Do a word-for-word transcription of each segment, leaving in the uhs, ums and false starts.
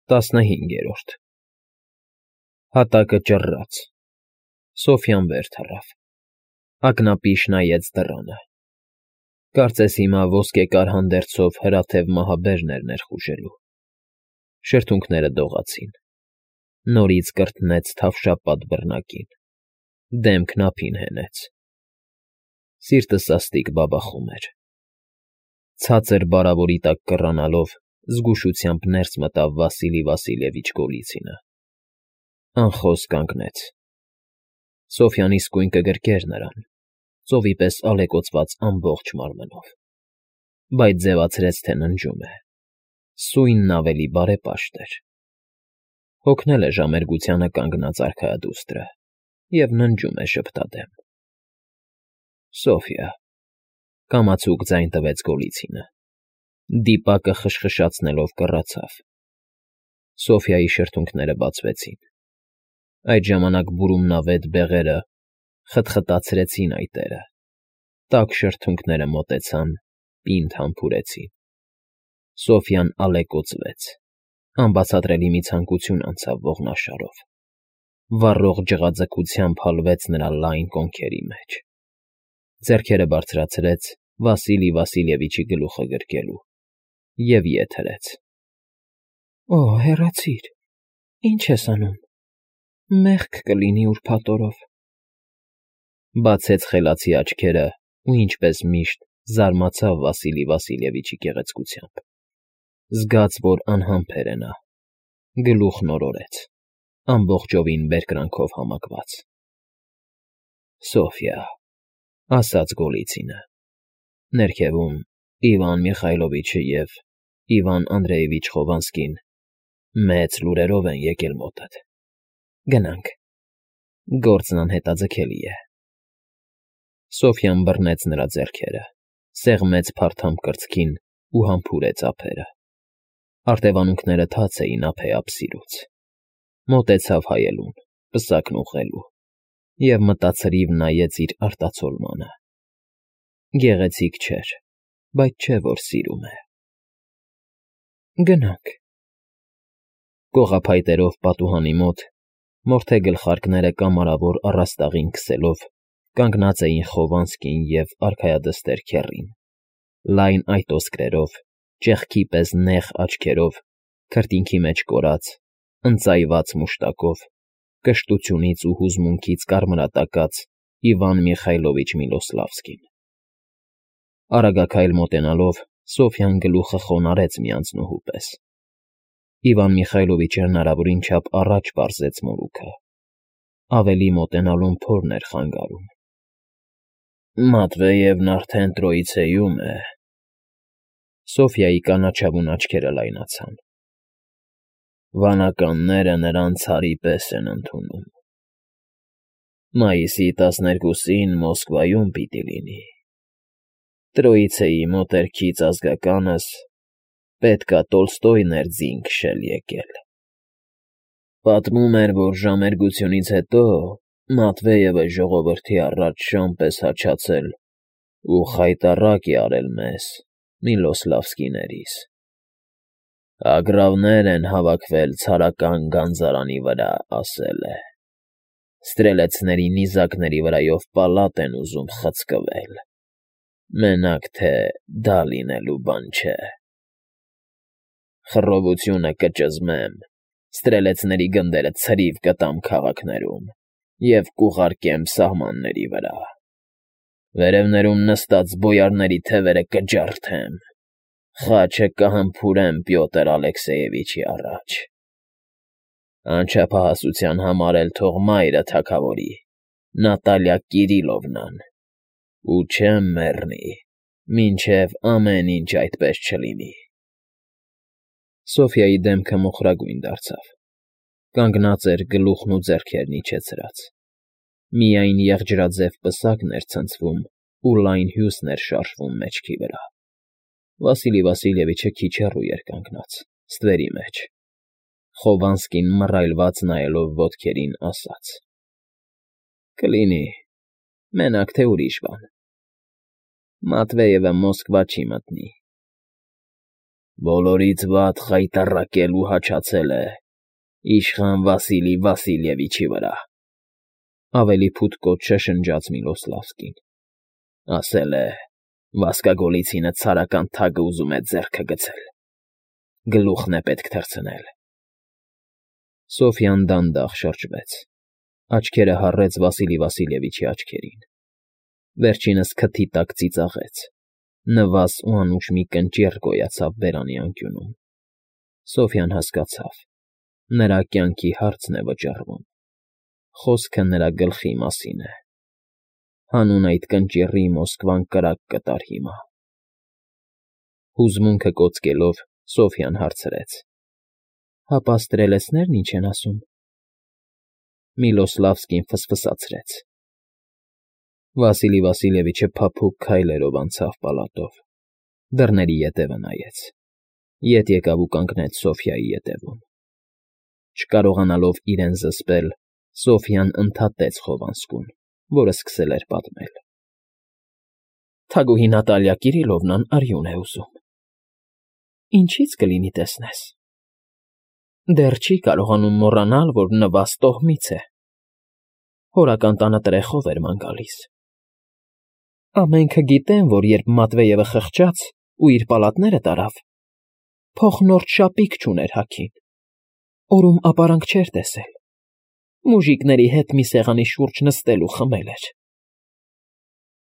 ՏԱՍՆՀԻՆԳԵՐՈՐԴ Հատակը ճռռաց, Սոֆյան վեր թռավ, ակնապիշ նայեց դռանը, կարծես հիմա ոսկեկար հանդերձով հրաթև մահաբերն էր ներխուժելու, շրթունքները դողացին, նորից կրտնեց թավշապատ բռնակին, դեմքն ափին հենեց, սիրտը սաստիկ բաբախում էր, ցածր բարավորի տակ կռանալով զգուշությամբ ներս մտավ Վասիլի Վասիլևիչ Գոլիցինը, անխոս կանգնեց, Սոֆյան իսկույն կգրկեր նրան, ծովի պես ալեկոծված ամբողջ մարմնով, բայց ձևացրեց, թե ննջում է, սույնն ավելի բարեպաշտ էր, հոգնել է ժամերգությանը կանգնած արքայադուստրը և ննջում է շփթադեմ։ ֊ Սոֆյա,֊ կամացուկ ձայն տվեց Գոլիցինը, դիպակը խշխշացնելով կռացավ, Սոֆյայի շրթունքները բացվեցին, այդ ժամանակ բուրումնավետ բեղերը խտխտացրեցին այտերը, տաք շրթունքները մոտեցան, պինդ համբուրեցին, Սոֆյան ալեկոծվեց, անբացատրելի մի ցանկություն անցավ ողնաշարով, վառող ջղաձգությամբ հալվեց նրա լայն կոնքերի մեջ, ձեռքերը բարձրացրեց Վասիլի Վասիլևիչի գլուխը գրկելու և ետ հրեց։ ֊ Օ, հեռացիր, ի՞նչ ես անում, մեղք կլինի ուրբաթ օրով, բացեց խելացի աչքերն ու ինչպես միշտ զարմացավ Վասիլի Վասիլևիչի գեղեցկությամբ, զգաց, որ անհամբեր է նա, գլուխն օրորեց, ամբողջովին բերկրանքով համակված։ ֊ Սոֆյա,֊ ասաց Գոլիցինը, ներքևում Իվան Միխայլովիչը և Իվան Անդրեևիչ Խովանսկին մեծ լուրերով են եկել մոտդ, գնանք, գործն անհետաձգելի է։ Սոֆյան բռնեց նրա ձեռքերը, սեղմեց փարթամ կրծքին ու համբուրեց ափերը, արտևանունքները թաց էին ափեափ սիրուց, մոտեցավ հայելուն, պսակն ուղղելու և մտացրիվ նայեց իր արտացոլմանը, գեղեցիկ չէր, բայց չէ, որ սիրում է։ ֊ Գնանք։ Կողափայտերով պատուհանի մոտ, մորթե գլխարկները կամարավոր առաստաղին քսելով, կանգնած էին Խովանսկին և արքայադստեր քեռին, լայն այտոսկրերով, ճեղքի պես նեղ աչքերով, քրտինքի մեջ կորած, ընծայված մուշտակով, կշտությունից ու հուզմունքից կարմրատակած Իվան Միխայլովիչ Միլոսլավսկին։ Արագաքայլ մոտենալով Սոֆյան գլուխը խոնարհեց մի անձնուհու պես, Իվան Միխայլովիչը հնարավորին չափ առաջ պարզեց մորուքը, ավելի մոտենալուն փորն էր խանգարում։ ֊ Մատվեևն արդեն Տրոյիցեում է… Սոֆյայի կանաչավուն աչքերը լայնացան։ Վանականները նրան ցարի պես են ընդունում։ Մայիսի տասներկուսին Մոսկվայում պիտի լինի։ Տրոյիցեի մոտերքից ազգականս պետք է Տոլստոյն էր ձին քշել եկել։ Պատմում էր, որ ժամերգությունից հետո Մատվեևը ժողովրդի առաջ շան պես հաչացել ու խայտառակ է արել մեզ՝ Միլոսլավսկիներիս. ագռավներ են հավաքվել ցարական գանձարանի վրա, ասել է, ստրելեցների նիզակների վրայով պալատ են ուզում խցկվել, մենակ թե դա լինելու բան չէ։ Խռովությունը կճզմեմ, ստրելեցների գնդերը ցրիվ կտամ քաղաքներում և կուղարկեմ սահմանների վրա, վերևներում նստած բոյարների թևերը կջարդեմ, խաչը կհմփուրեմ Պյոտր Ալեքսեևիչի առաջ, անչափահասության համար էլ թող մայրը թագավորի, Նատալիա Կիրիլովնան, ու չեմ մեռնի, մինչև ամեն ինչ այդպես չլինի։ Սոֆյայի դեմքը մոխրագույն դարձավ, կանգնած էր գլուխն ու ձեռքերն իջեցրած, միայն եղջրաձև պսակն էր ցնցվում ու լայն հյուսն էր շարժվում մեջքի վրա։ Վասիլի Վասիլևիչը քիչ հեռու էր կանգնած, ստվերի մեջ, Խովանսկին մռայլված նայելով ոտքերին ասաց. Կլինի, մենակ թե ուրիշ բան։ Մատվեևը Մոսկվա չի մտնի։ Բոլորից վատ խայտառակել ու հաչացել է իշխան Վասիլի Վասիլևիչի վրա,֊ ավելի փութկոտ շշնջաց Միլոսլավսկին։ Ասել է. «Վասկագոլիցինը ցարական թագը ուզում է ձեռքը գցել։ Գլուխն է պետք թռցնել»։ Սոֆյան դանդաղ շրջվեց, աչքերը հառեց Վասիլի Վասիլևիչի աչքերին, վերջինս քթի տակ ծիծաղեց, նվազ ու անուշ մի կնճիռ գոյացավ բերանի անկյունում։ Սոֆյան հասկացավ. նրա կյանքի հարցն է վճռվում, խոսքը նրա գլխի մասին է։ Հանուն այդ կնճիռի Մոսկվան կրակ կտար հիմա։ Հուզմունքը կոծկելով Սոֆյան հարցրեց. Հապա ստրելեցնե՞րն ինչ են ասում։ Միլոսլավսկին ֆսֆսացրեց։ Վասիլի Վասիլևիչը փափուկ քայլերով անցավ պալատով, դռների ետևը նայեց, ետ եկավ ու կանգնեց Սոֆյայի ետևում։ Չկարողանալով իրեն զսպել, Սոֆյան ընդհատեց Խովանսկուն, որը սկսել էր պատմել. Թագուհի Նատալիա Կիրիլովնան արյուն է ուզում։ Ինչի՞ց կլինի տեսնես։ Դեռ չի կարողանում մոռանալ, որ նվազ տոհմից է։ Հորական տանը տրեխով էր ման գալիս։ Ամենքը գիտեն, որ երբ Մատվեևը խղճաց ու իր պալատները տարավ, փոխնորդ շապիկ չուներ հագին, օրում ապարանք չէր տեսել, մուժիկների հետ մի սեղանի շուրջ նստել ու խմել էր։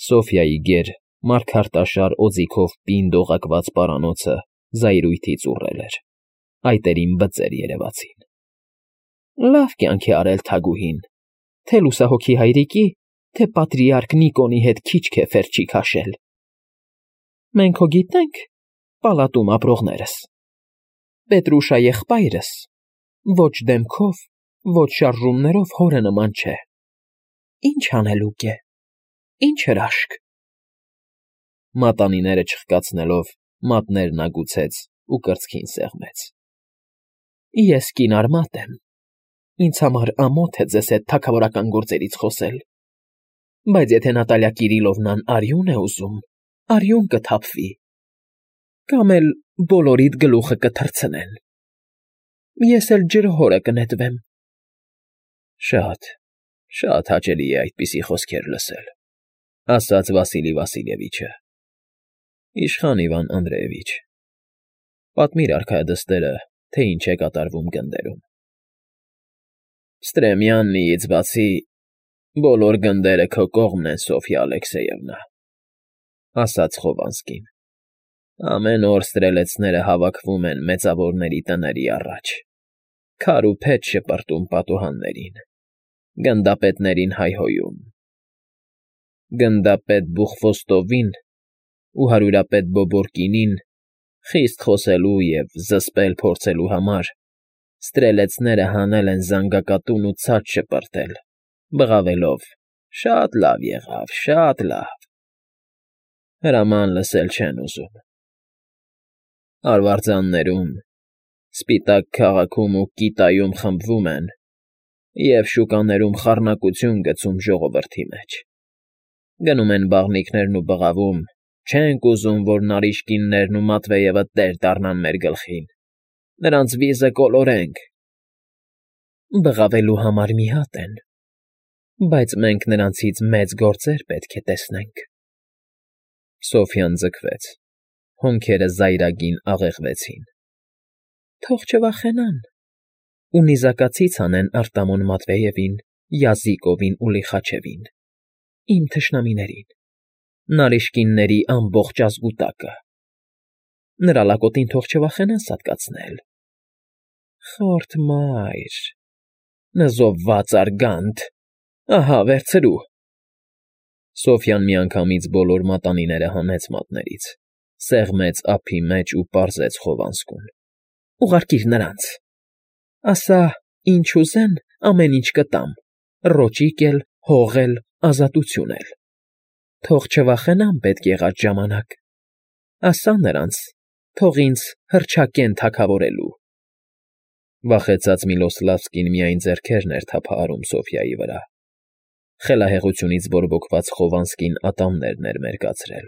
Սոֆյայի գեր, մարգարտաշար օձիքով պինդ օղակված պարանոցը զայրույթից ուռել էր, այտերին բծեր երևացին։ Լավ կյանք է արել թագուհին, թե լուսահոգի հայրիկի, թե պատրիարք Նիկոնի հետ քիչք է ֆերջի քաշել։ Մենք հո գիտենք, պալատում ապրողներս, Պետրուշա եղբայրս, ոչ դեմքով, ոչ շարժումներով հորը նման չէ։ Ինչ անելուկ է, ինչ հրաշք։ Մատանիները չխկացնելով, մատներն ագուցեց ու կրծքին սեղմեց։ Ես կինարմատ եմ, ինձ համար ամոթ է ձեզ հետ թագավորական գործերից խոսել, բայց եթե Նատալիա Կիրիլովնան արյուն է ուզում, արյուն կթափվի, կամ էլ բոլորիդ գլուխը կթռցնեն։ Ես էլ ջրհորը կնետվեմ։ Շատ, շատ հաճելի է այդպիսի խոսքեր լսել, ասաց Վասիլի Վասիլևիչը։ Իշխան Իվան Անդրեևիչ, պատմիր արքայադստերը, թե ինչ է կատարվում գնդերում։ Ստրեմյաննիից բացի բոլոր գնդերը քո կողմն են, Սոֆյա Ալեքսեևնա, ասաց Խովանսկին։ Ամեն օր ստրելեցները հավաքվում են մեծավորների տների առաջ, քար ու փետ շպրտում պատուհաններին, գնդապետներին հայհոյում։ Գնդապետ Բուխվոստովին ու հարյուրապետ Բոբորկինին խիստ խոսելու և զսպել փորձելու համար ստրելեցները հանել են զանգակատուն ու ցած շպրտել, բղավելով. շատ լավ եղավ, շատ լավ։ Հրաման լսել չեն ուզում։ Արվարձաններում, Սպիտակ քաղաքում ու Կիտայում խմբվում են և շուկաներում խառնակություն գցում ժողովրդի մեջ։ Գնում են բաղնիքներն ու բղավում. չենք ուզում, որ Նարիշկիններն ու Մատվեևը տեր դառնան մեր գլխին, նրանց վիզը կոլորենք։ Բղավելու համար մի հատ են, բայց մենք նրանցից մեծ գործեր պետք է տեսնենք։ Սոֆյան ձգվեց, հոնքերը զայրագին աղեղվեցին։ Թող չվախենան, ու նիզակացից անեն Արտամոն Մատվեևին, Յազիկովին ու Լիխաչևին, իմ թշնամիներին, Նարիշկինների ամբողջ ազգուտակը։ Նրա լակոտին թող չվախենան սատկացնել։ Խորթ մայր, նզովված արգանդ, ահա վերցրու։ Սոֆյան միանգամից բոլոր մատանիները հանեց մատներից, սեղմեց ափի մեջ ու պարզեց Խովանսկուն։ Ուղարկիր նրանց։ Ասա, ինչ ուզեն, ամեն ինչ կտամ, ռոճիկ էլ, հող էլ, ազատություն էլ։ Թող չվախենան պետք եղած ժամանակ։ Ասա նրանց, թող ինձ հռչակեն թագավորելու։ Վախեցած Միլոսլավսկին միայն ձեռքերն էր թափահարում Սոֆյայի վրա։ Խելահեղությունից բորբոքված Խովանսկին ատամներն էր մերկացրել։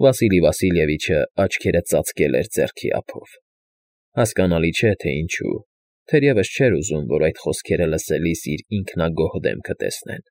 Վասիլի Վասիլևիչը աչքերը ծածկել էր ձեռքի ափով։ Հասկանալի չէ, թե ինչու, թերևս չէր ուզում, որ այդ խոսքերը լսելիս իր ինքնագոհ դեմքը տեսնեն։